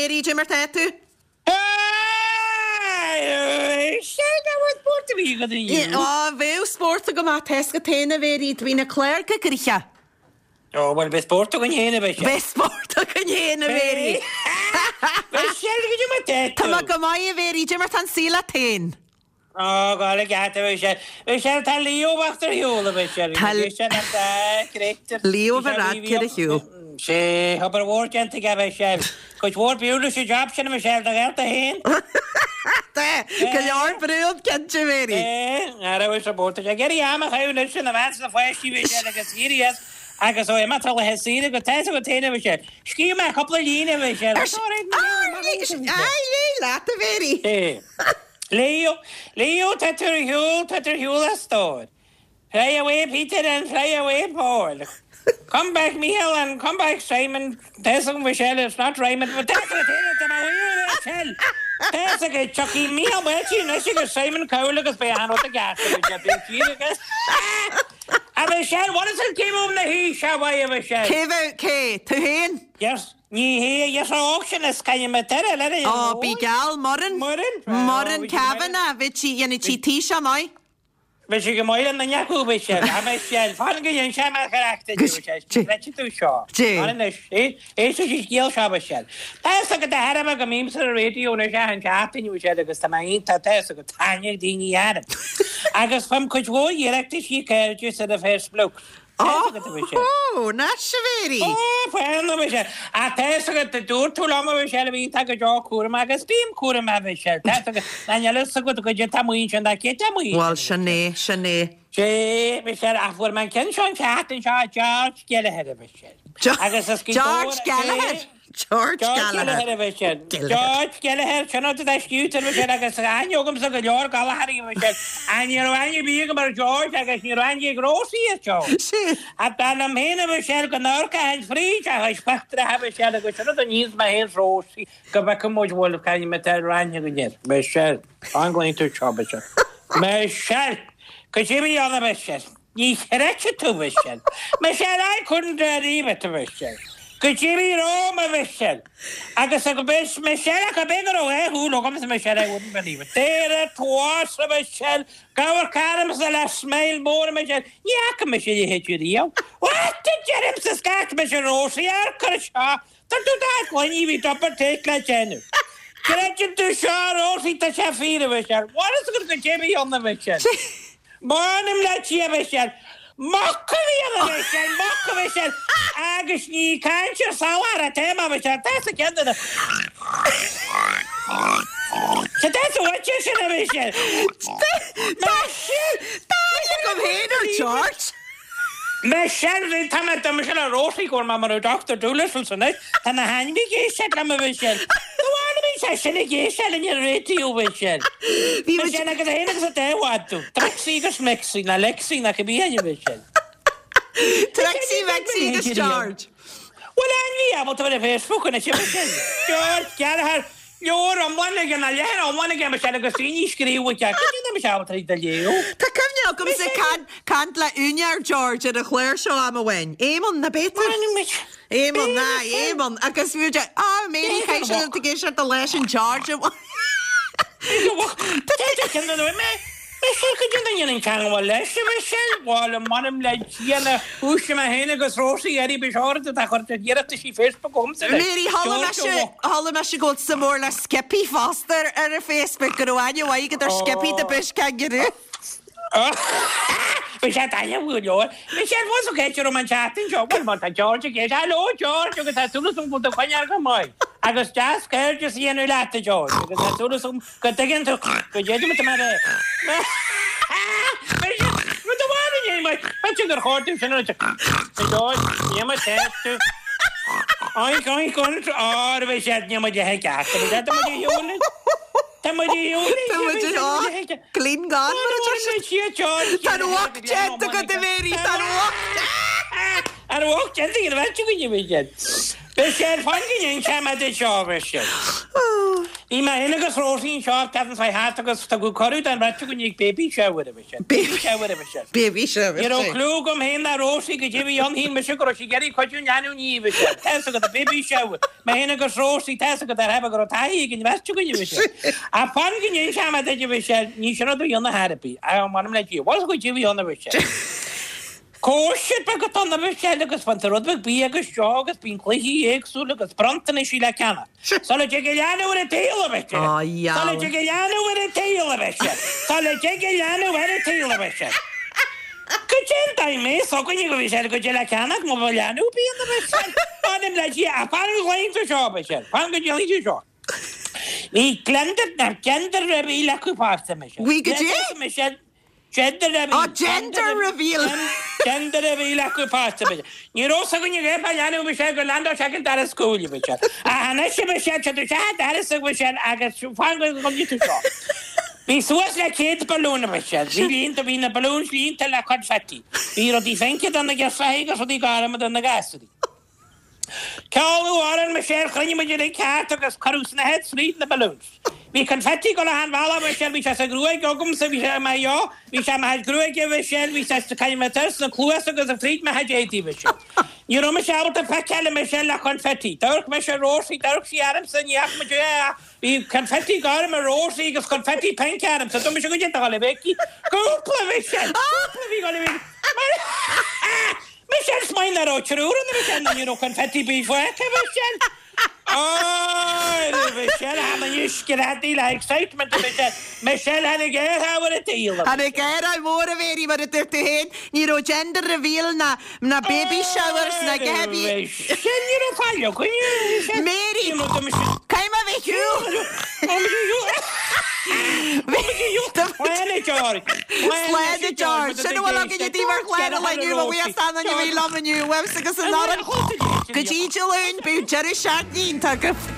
Mhéirí, cad é mar tá tú? Sin go bhfuil spórt a bhí agat inniu. Á, bheadh spórt agam ach tá 'fhios agat féin a Mhéirí, do bhí na cláracha gnoitheach. Ó, bhuel, beidh spórt againn féin a Mhichelle. Beidh spórt againn féin a Mhéirí. Michelle, cad é mar tá tú? Tá mé go maith a Mhéirí, cad é mar tá an saol leat féin? Ó, go gealt a Mhichelle. Michelle, tá Leo bocht ar shiúl a Mhichelle. Tá Leo Varadkar ar shiúl. Sé, obair mhór déanta aige a Mhichelle. Cuid mhór brú leis an job sin a Michelle, do gheall tú féin. Tá go leor brú ann cinnte, a Mhéirí. É, ara bhfuil sa bport. Ag iarraidh am a chaitheamh anois ina measc na pháistí Michelle agus éirí as agus ó imeacht ar laetha saoire go tá 'fhios agat féin a Mhichelle. Scríobh mé cúpla líne a Mhichelle. Ar Léigh leat a Mhéirí. É. Leo, Leo, tá tú ar shiúl, tá tú ar shiúl a stór. Fly away Peter and fly away Paul. Come back Micheál and come back Simon. Tá 'fhios agam Michelle, it's not rhyming, but tá 'fhios agat féin tá mé a Michelle. Tá 'fhios agat, tiocfaidh Micheál Máirtín anois agus Simon Cowell agus beidh achan rud i gceart agat, beidh siad agus A Michelle, what is it cé bhfuil na haois a mhaith a Michelle? Cé bheadh, cé? Tú féin? Yes. Ní hé, yes, óg sin is caithfidh mé deireadh le ré Ó, bí geall, Muireann. Muireann. Muireann Kavanagh, bhí sí, dhéanfaidh sí taoiseach maith. Bhí sí go maith le duine acu, bhí sé, bhí mé sé, fan go dhein sé mé charachtar di, bhí sé, chreidfidh tú seo. Dé. Fan anois, éist leis an scéal seo, bhí sé. Tá fhios agat de thairbhe go mbímse ar an raidió anois achan tseachtain, bhí sé, agus tá mé iontach, tá fhios agat, aithne ag daoine orm. Agus faighim cuid mhór iarrachtaisí cairdis ar an Facebook. Ó, anois a Mhéirí! Ó, fan, a Mhichelle. Ach tá fhios agat, dúirt tú liom, a Mhichelle, a bhí tú go deo cúramach, agus bím cúramach, a Mhichelle. Tá fhios agat, ná níl fhios agat goidé tá amuigh ansin, ná cé tá amuigh ansin. Bhuel, sin é, sin é. Sé, Michelle, ach fuair mé an ceann seo an tseachtain seo, George Gallagher, a Mhichelle. Agus is George Gallagher? George Gallagher. A Mhichelle. George Gallagher, sin rud atá scríte a Mhichelle agus aithne agamsa go leor Gallagherí a Mhichelle. Ach ní raibh aithne ar bith agam ar George agus ní raibh aithne ag Rosie ar George. Sin. Ach dar liom féin a Mhichelle go n-amharcfainn fríd a chuid pictiúireacha a Mhichelle agus sin rud a níonns mé féin 's Rosie go bhfeicfidh muid bhfuil caithfidh mé tá aithne againn air. Michelle, fan go léann tú seo Michelle. Michelle! Cad é a bhí ann a Mhichelle? Ní chreidfidh tú, Mhichelle. Michelle, I couldn't believe it, a Mhichelle. Goidé bhí romham, a Mhichelle. Agus a Michelle, ach ab é go raibh dhá shúil agamsa, Michelle, I wouldn't believe it. There it was, a Mhichelle. Ag amharc ormsa le smile mór, a Michelle. Ní fhaca mise a leithéid riamh. What a deirimse, scairt mise Rosie, amharc air seo. Tá tú dá gcloigne, bhí double take le déanamh. Creideann tú seo, a Rosie, tá sé fíor, a Mhichelle. Bhfuil fhios agat goidé a bhí ann, a Mhichelle. M'anam le Dia, a Mhichelle. Muc a bhí ann, a Mhichelle, muc, a Mhichelle. Agus ní ag caint ar salachar atá mé, a Mhichelle. Tá sa gceann de na. Tá sa bhainte sin, a Mhichelle. Michelle! Tá agam féin ar George. Michelle, Bhí, tá mé, tá mise le Rosie go bhfuil mé mar Doctor Dolittle anois, tá na hainmhithe ag éisteacht liom a Mhichelle. Nó bhí sé sin ag éisteacht linn ar an raidió Mhichelle. Bhí muid. Michelle agus a haon agus a dá mhadadh, Trixie agus Mixie, nó Lexie nó cibé ainm Mhichelle. Trixie, Mixie agus George. Bhfuil ainmhí ábalta bheith ar Facebook anois a Mhichelle? George Gallagher. Leabhar iomlán aige, ná leathanach iomlán aige Michelle agus daoine ag scríobh aige. Cad é nach mbeadh sé ábalta iad a léamh? Tá cuimhne agamsa caint le úinéir George ar an chlár seo am amháin. Éamonn, ná b'é tú? Éamonn, aye, Éamonn. Agus bhí muid, ah, Mary, chaith sé ag éisteacht leis an George. Tá mé Michelle, cad é an ndéanann teagmháil leis, a Mhichelle? Bhuel, m'anam le Dia na húise mé féin agus Rosie Eddie Bishard atá ag cur iarratais Facebook chugamsa anois. Mary, chuala mise, chuala mise go bhfuil suim mór le Skippy fosta ar an Facebook, go raibh aithne mhaith agat ar Skippy the Bush Kangaroo. Bhí sé taitneamh go leor. Michelle, bhfuil tú céit orm an tseachtain seo? Bhuel, má tá George ag éisteacht, Hello George, agus tá súil agam go bhfuil tú ag coinneáil go maith. Agus deas cairdeas a dhéanamh leat, a George, agus tá súil agam Go dtuigeann tú go dtéadaim mar é. Rud amháin a dhéanfaidh mé, b'fhéidir gur chóir dom sin a rá. Níl mé sásta. Oink, oink, oink, á, bhí sé, níl muid le ceart, tá muid ar shiúl. Tá muid ar shiúl. Tá muid ar shiúl. Clean gone, mar a deir siad. Tá an uacht déanta agat, a Mhéirí, tá an uacht. An uacht déanta agat, a bheith againn, a bhí siad. Beidh sé ar fáil go ndéanfaidh mé duit seo, a bheidh siad. Bhí mé féin agus Rosie anseo an tseachtain seo thart agus tugadh cuireadh don bheirt againn ag baby shower a Mhichelle. Baby shower a Mhichelle. Baby shower. Ní raibh clue agam féin ná Rosie goidé a bhí ann, shíl mise go raibh sí ag iarraidh cuidiú an leanbh a ní a Mhichelle. Tá's agat, a baby shower. Mé féin agus Rosie, tá's agat ar theip go raibh taithí ag an bheirt againn a Mhichelle. Ach fan go n-inseoidh mé duit a Mhichelle, ní sin rud a bhí ann ar chor ar bith. Ach m'anam le Dia, bhfuil goidé a bhí ann a Mhichelle. Cóisir beag atá ann a Mhichelle agus baintear rud beag bia agus deoch agus bíonn cluichí éagsúla agus bronntanaisí le ceannach. Sula dtig an leanbh ar an tsaol a Mhichelle. Á, dheabhal. Sula dtig an leanbh ar an tsaol a Mhichelle. Sula dtig an leanbh ar an tsaol a Mhichelle. Goidé an dóigh mé s'againne go Mhichelle goidé le ceannach má bheadh leanbh ar bith ann a Mhichelle. M'anam le Dia, ach fan go gcloífidh tú seo a Mhichelle. Fan go gcloífidh tú seo. Bhí glendar, ná gender reveal acu fosta a Mhichelle. Bhí goidé? Michelle. Gender reveal. Oh, gender reveal! Gender reveal acu fosta, b'fhéidir. Ní raibh fhios againn ag an leanbh Michelle gur leaindeáil sé ag an dara scuaine, Michelle. Ach anois, a Mhichelle, tá tú isteach an doras a Mhichelle agus fan go gcoinnfidh tú seo. Bhí suas le 100 balún, a Mhichelle. Bhí líonta, bhí na balloons líonta le confetti. Bhí rudaí phince do na girseachaí agus rudaí gorma do na gasúirí. Ceoladh amhrán Michelle, chruinnigh muid uilig thart agus cuireadh snáthaid fríd na balloons. Bhí confetti ag dul achan bhealach Michelle, bhí sé sa ghruaig agamsa, bhí sé i mo dheo, bhí sé i mo chuid gruaige Michelle, bhí sé sa sna cluasa agus fríd mo chuid éadaí Michelle. Ní raibh mise ábalta feiceáil Michelle le confetti. D'amharc mise ar Rosie, d'amharc sí ormsa, ní fhaca muid é ach bhí confetti gorm ar Rosie agus confetti pink ormsa. Dúirt mise goidé atá ag dul a bheith aici. Cúpla Michelle! Cúpla bhí ag dul a bheith aici. Michelle smaoin nach raibh triúr ann Michelle nó ní raibh confetti ar bith fágtha Michelle. Óir Michelle tháinig anois screadaíl le excitement Michelle. Michelle tháinig aertha ar an tsaol. Tháinig aertha mór a Mhéirí mar a dúirt tú féin. Ní raibh gender reveal ná ná baby showers ná Gaby. Michelle ní raibh faill againn Michelle. Mary Caithfidh mé a bheith shiúl. Slán a George. Slán a George. Sin a bhfuil againne daoibh ar chlár an lae inniu, mo bhuíochas d'aon duine a bhí liom inniu, uaimse agus an fhoireann. Go dtí Dé Luain, bíodh deireadh seachtaine iontach agaibh.